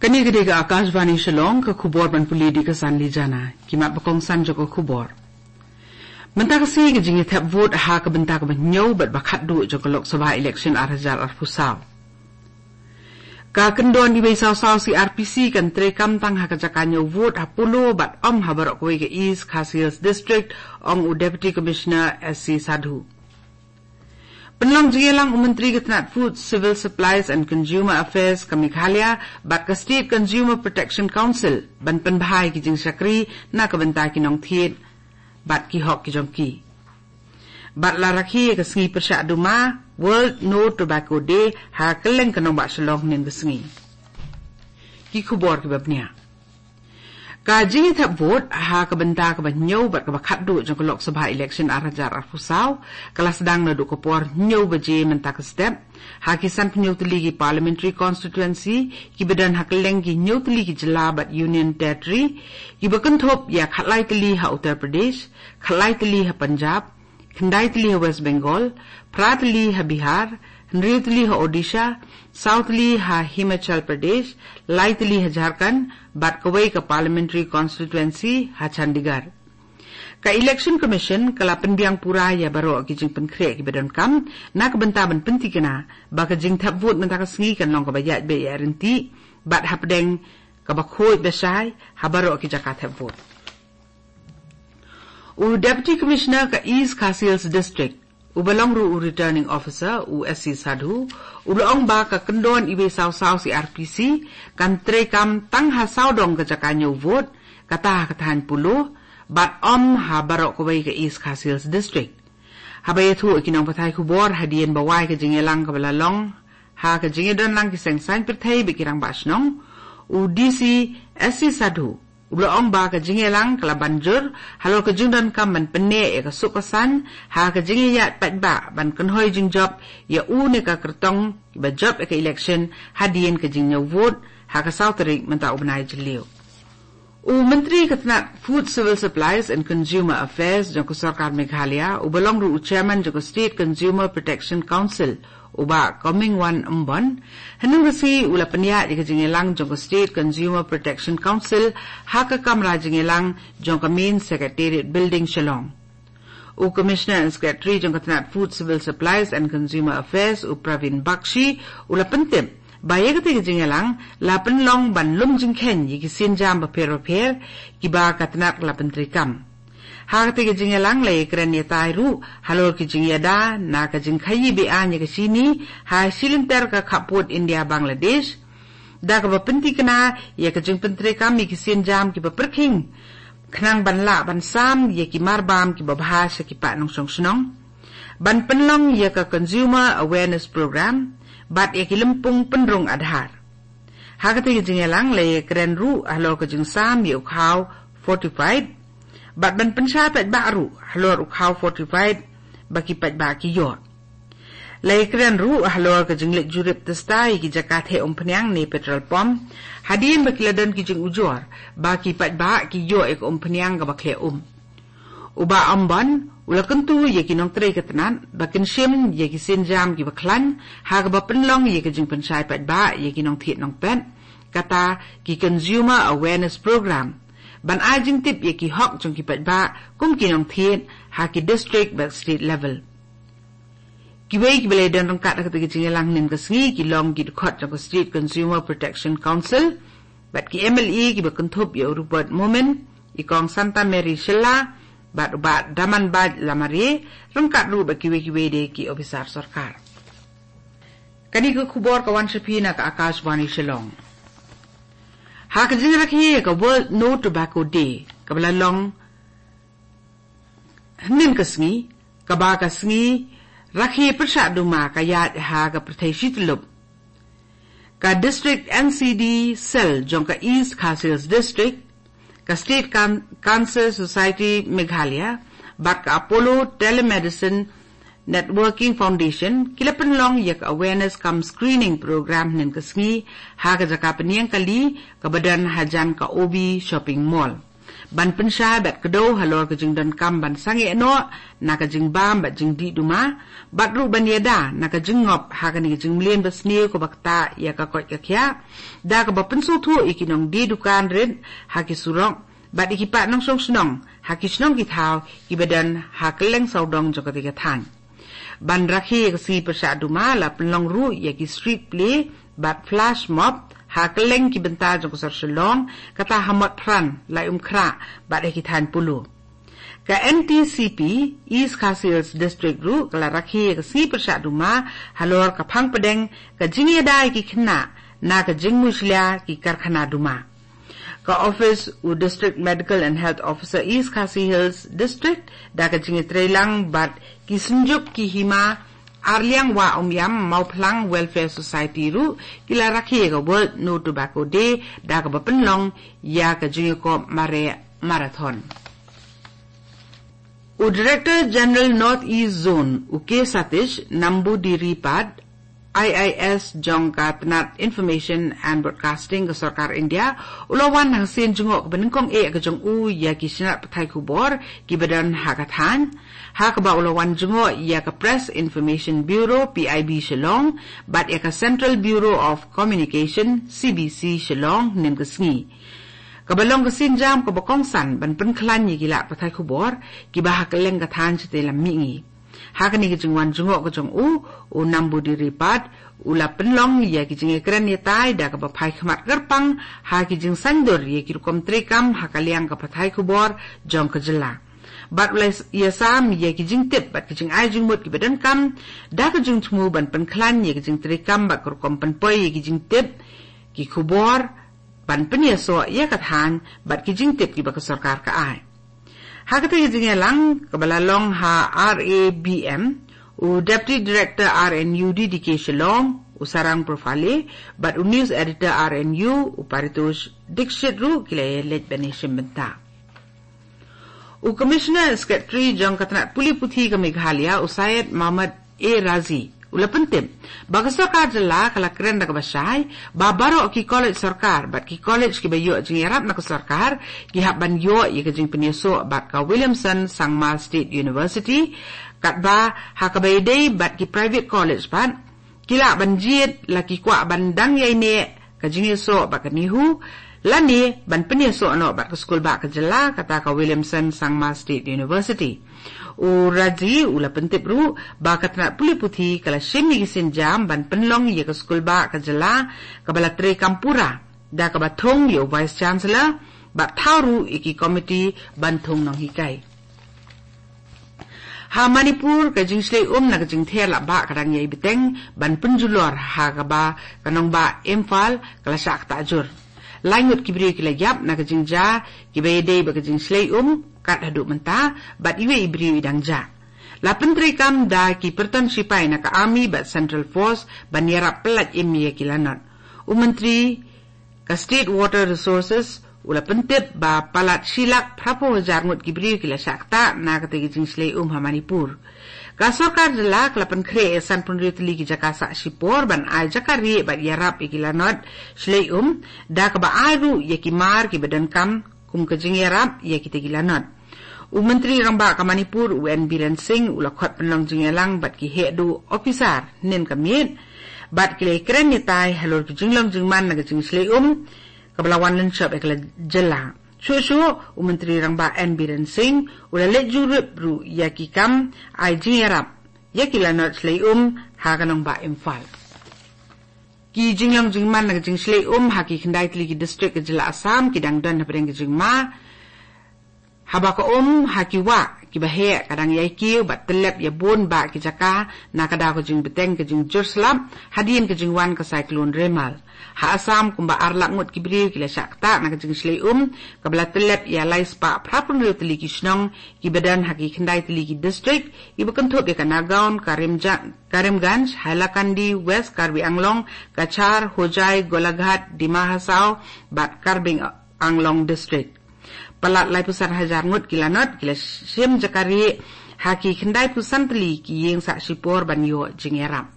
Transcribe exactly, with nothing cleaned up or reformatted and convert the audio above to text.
Kane ka dei ka Akashvani Shillong, ka khubor ban pule da ka Sanli Jana. Ki mat ba kongsan jong ka khubor. Mynta ka sngi ka jingïathep vote ha ka bynta kaba hynñiew bad ba khatduh jong ka Lok Sabha election ar hajar arphew saw. Ka kyndon iwei saw saw C R P C kan treikam tang ha ka jaka ñiew vote ha Polo bad ym ha baroh kawei ka East Khasi Hills District, ong u Deputy Commissioner S C Sadhu. Pynlong jingïalang u Myntri ka tnat Food, Civil Supplies and Consumer Affairs ka Meghalaya bad ka State Consumer Protection Council ban pynbha ïa ki jingshakri na ka bynta ki nongthied bad ki hok ki jong ki. Bad la rakhe ïa ka sngi pyrshah duma, World No Tobacco Day, ha kylleng ka nongbah Shillong hynnin ka sngi. Ki khubor kiba bniah. Ka jingïathep vote ha ka bynta kaba hynñiew bad kaba khatduh jong ka Lok Sabha election ar hajar arphew saw ka la sdang naduh ka por hynñiew baje mynta ka step ha ki sanphew hynñiew tylli ki parliamentary constituency kiba don ha kylleng ki hynñiew tylli ki jylla bad union territory, kiba kynthup ïa khatlai tylli ha Uttar Pradesh, khatlai tylli ha Punjab, khyndai tylli ha West Bengal, phra tylli ha Bihar, hynriew tylli ha Odisha, saw tylli ha Himachal Pradesh, lai tylli ha Jharkhand, bad kawei ka parliamentary constituency ha Chandigarh. Ka Election Commission ka la pynbiang pura ïa baroh ki jingpynkhreh kiba donkam na ka bynta ban pyntikna ba ka jingthep vote mynta ka sngi kan long kaba ïaid beit ïaid ryntih bad hapdeng kaba khuid ba shai ha baroh ki jaka thep vote. U Deputy Commissioner ka East Khasi Hills District, uba long ruh u Returning Officer, u S C Sadhu, u la ong ba ka kyndon iwei saw saw C R P C kan treikam tang ha sawdong ka jaka ñiew vote, kata ha ka thaiñ Polo, bad ym ha baroh kawei ka East Khasi Hills District. Haba ïathuh ïa ki nongpathai khubor hadien ba wai ka jingïalang kaba la long ha ka jingïadonlang ki seng saiñ pyrthei bad ki rangbah shnong, u D C S C Sadhu u la ong ba ka jingïalang ka la ban jur halor ka jingdonkam ban pynneh ïa ka suk ka saiñ ha ka jingïaid paidbah ban kynhoi jingjop ïa u ne ka kyrtong kiba jop ïa ka election hadien ka jingñiew vote ha ka saw tarik mynta u bnai Jylliew. U Myntri ka tnat Food, Civil Supplies and Consumer Affairs jong ka Sorkar Meghalaya, uba long ruh u Chairman jong ka State Consumer Protection Council, u Bah Comingone Ymbon, hynnin ka sngi u la pynïaid ïa ka jingïalang jong ka State Consumer Protection Council ha ka kamra jingïalang jong ka Main Secretariat Building, Shillong. U Commissioner and Secretary jong ka tnat Food, Civil Supplies and Consumer Affairs, u Praveen Bakshi, u la pyntip ba ïa katei ka jingïalang la pynlong ban lum jingkheiñ ïa ki sienjam bapher bapher kiba ka tnat ka la pyntreikam. Ha katei ka jingïalang la ïakren ïatai ruh halor ki jingïada na ka jingkhaïi be-aiñ ïa ka shini ha shilynter ka khappud India Bangladesh, da kaba pyntikna ïa ka jingpyntreikam ïa ki sienjam kiba pyrkhing, khnang ban lah ban sam ïa ki marbam kiba bha sha ki paid nongshong shnong, ban pynlong ïa ka Consumer Awareness Program bad ïa ki lympung pynrung Aadhaar. Ha katei ka jingïalang la ïakren ruh halor ka jingsam ïa u khaw fortified bad ban pynshai paidbah ruh halor u khaw fortified ba ki paidbah ki ïoh. La ïakren ruh halor ka jingleit jurip testa ïa ki jaka theh umphniang ne petrol pump hadien ba ki la don ki jingujor ba ki paidbah ki ïoh ïa ka umphniang kaba khleh um. U Bah Ymbon u la kyntu ïa ki nongtrei ka tnat ba kin shim ïa ki sienjam kiba khlaiñ ha kaba pynlong ïa ka jingpynshai paidbah ïa ki nongthied nongpet, kata ki Consumer Awareness Program, ban ai jingtip ïa ki hok jong ki paidbah kum ki nongthied ha ki district bad state level. Kiwei kiba la ïadon ryngkat ha katei ka jingïalang hynnin ka sngi ki long ki dkhot jong ka State Consumer Protection Council bad ki M L A kiba kynthup ïa u Rupert Momin, i Kong Santa Mary Shylla bad u Bah Damanbait Lamare, ryngkat ruh bad kiwei kiwei de ki ophisar sorkar. Kane ka khubor ka wan sha phi na ka Akashvani Shillong. Ha ka jingrakhe ïa ka World No Tobacco Day kaba la long hynnin ka sngi, kaba ka sngi rakhe pyrshah duma ka ïaid ha ka pyrthei shi tyllup, ka District N C D Cell jong ka East Khasi Hills District, ka State Can-, Cancer Society Meghalaya bad ka Apollo Telemedicine Networking Foundation ki la pynlong ïa ka awareness cum screening program hynnin ka sngi ha ka jaka pynïeng kali kaba don hajan ka O B Shopping Mall. Ban pynshai bad kdew halor ka jingdonkam ban sangeh noh na ka jingbam bad jingdih duma, bad ruh ban ïada na ka jingngop ha kane ka jingmlien basniew kaba ktah ïa ka koit ka khiah, da kaba pynsngewthuh ïa ki nongdie dukan rit ha ki surok, bad ïa ki paid nongshong shnong ha ki shnong ki thaw kiba don ha kylleng sawdong jong katei ka thaiñ. Ban rakhe ïa ka sngi pyrshah duma la pynlong ruh ïa ki street play bad flash mob ha kylleng ki bynta jong ka sor Shillong, kata ha Motphran, Laitumkhrah bad ha ki thaiñ Polo. Ka N T C P East Khasi Hills District ruh ka la rakhe ïa ka sngi pyrshah duma halor ka phang pdeng ka jingïada ïa ki khynnah na ka jingmushlia ki karkhana duma. Ka office u District Medical and Health Officer East Khasi Hills District, da ka jingïatreilang bad ki Synjuk ki Hima Arliang Wah Umiam Mawphlang Welfare Society ruh, ki la rakhe ïa ka World No Tobacco Day da kaba pynlong ïa ka jingïakop mareh marathon. U Director General North East Zone, u K Satish Namboodiripad, I I S jong ka tnat Information and Broadcasting ka Sorkar India, u la wan ha ka sien jngoh kaba nyngkong eh ka jong u ïa ki shnat pathai khubor kiba don ha ka thaiñ, ha kaba u la wan jngoh ïa ka Press Information Bureau, P I B Shillong, bad ïa ka Central Bureau of Communication, C B C Shillong, hynnin ka sngi. Kaba long ka sienjam kaba kongsan ban pynkhlaiñ ïa ki lad pathai khubor kiba ha kylleng ka thaiñ shatei lam mihngi. Ha kane ka jingwan jngoh ka jong u, u Namboodiripad u la pynlong ïa ki jingïakren ïatai da kaba phai khmat kyrpang ha ki jingsaiñdur ïa ki rukom treikam ha ka liang ka pathai khubor jong ka jylla. Bad u la ïasam ïa ki jingtip bad ki jingai jingmut kiba donkam da ka jingthmu ban pynkhlaiñ ïa ki jingtreikam bad ka rukom pynpoi ïa ki jingtip, ki khubor, ban pynïasoh ïa ka thaiñ bad ki jingtip kiba ka sorkar ka ai. Ha katei ka jingïalang kaba la long ha R A B M, u Deputy Director R N U D D K Shillong, u Sarang Profale, bad u News Editor R N U, u Paritosh Dixit ruh ki la ïaleit ban ïashim bynta. U Commissioner Secretary jong ka tnat pule puthi ka Meghalaya, u Syed Mohammad A Razi, u la pyntip ba ka sorkar jylla ka la kren da kaba shai ba baroh ki college sorkar bad ki college kiba ïoh jingïarap na ka sorkar ki hap ban ïoh ïa ka jingpynïasoh bad ka Williamson Sangma State University, katba ha kaba ïadei bad ki private college pat, ki lah ban jied la ki kwah ban dang ïaineh ka jingïasoh bad ka NEHU, lane ban pynïasoh noh bad ka skulbah ka jylla, kata ka Williamson Sangma State University. U Razi u la pyntip ruh ba ka tnat pule puthi ka la shim ïa ki sienjam ban pynlong ïa ka skulbah ka jylla kaba la treikam pura, da kaba thung ïa u Vice Chancellor bad thaw ruh ïa ki komiti ban thung nonghikai. Ha Manipur, ka jingshlei um na ka jingther la ba ka dang ïai bteng ban pynjulor ha kaba ka nongbah Imphal ka la shah ktah jur. Lai ngut ki briew ki la ïap na ka jingjia kiba ïadei bad ka jingshlei um kat haduh mynta, bad iwei i briew i dang jah. La pyntreikam da ki pyrton shipai na ka Army bad Central Force ban ïarap pyllait im ïa ki lanot. U Myntri ka State Water Resources u la pyntip ba palat shi lak phra phew hajar ngut ki briew ki la shah ktah na katei ka jingshlei um ha Manipur. Ka sorkar jylla ka la pynkhreh ïa san phew hynriew tylli ki jaka sah shipor ban ai jaka rieh bad ïarap ïa ki lanot shlei um, da kaba ai ruh ïa ki mar kiba donkam kum ka jingïarap ïa kitei ki lanot. U Myntri Rangbah ka Manipur, u N Biren Singh, u la khot pynlong jingïalang bad ki heh duh ophisar hynnin ka miet, bad ki la ïakren ïatai halor ki jinglong jingman na ka jingshlei um kaba la wan lynshop ïa ka jylla. Shuh shuh, u Myntri Rangbah N Biren Singh u la leit jurip ruh ïa ki kam ai jingïarap ïa ki lanot shlei um ha ka nongbah Imphal. Ki jinglong jingman na ka jingshlei um ha ki khyndai tylli ki district ka jylla Assam ki dang don hapdeng ka jingma, haba ka um ha ki wah kiba heh ka dang ïai kiew bad tyllep ïa bun bah ki jaka na ka daw ka jingbteng ka jingjur slap hadien ka jingwan ka Cyclone Remal. Ha Assam, kumba ar lak ngut ki briew ki la shah ktah na ka jingshlei um kaba la tyllep ïa lai spah phra phew hynriew tylli ki shnong kiba don ha ki khyndai tylli ki district, kiba kynthup ïa ka Nagaon, Karimja-, Karimganj, Hailakandi, West Karbi Anglong, Cachar, Hojai, Golaghat, Dima Hasao bad Karbi Anglong District. Palat lai phew san hajar ngut ki lanot ki la shim jaka rieh ha ki khyndai phew san tylli ki ïing sah shipor ban ïoh jingïarap.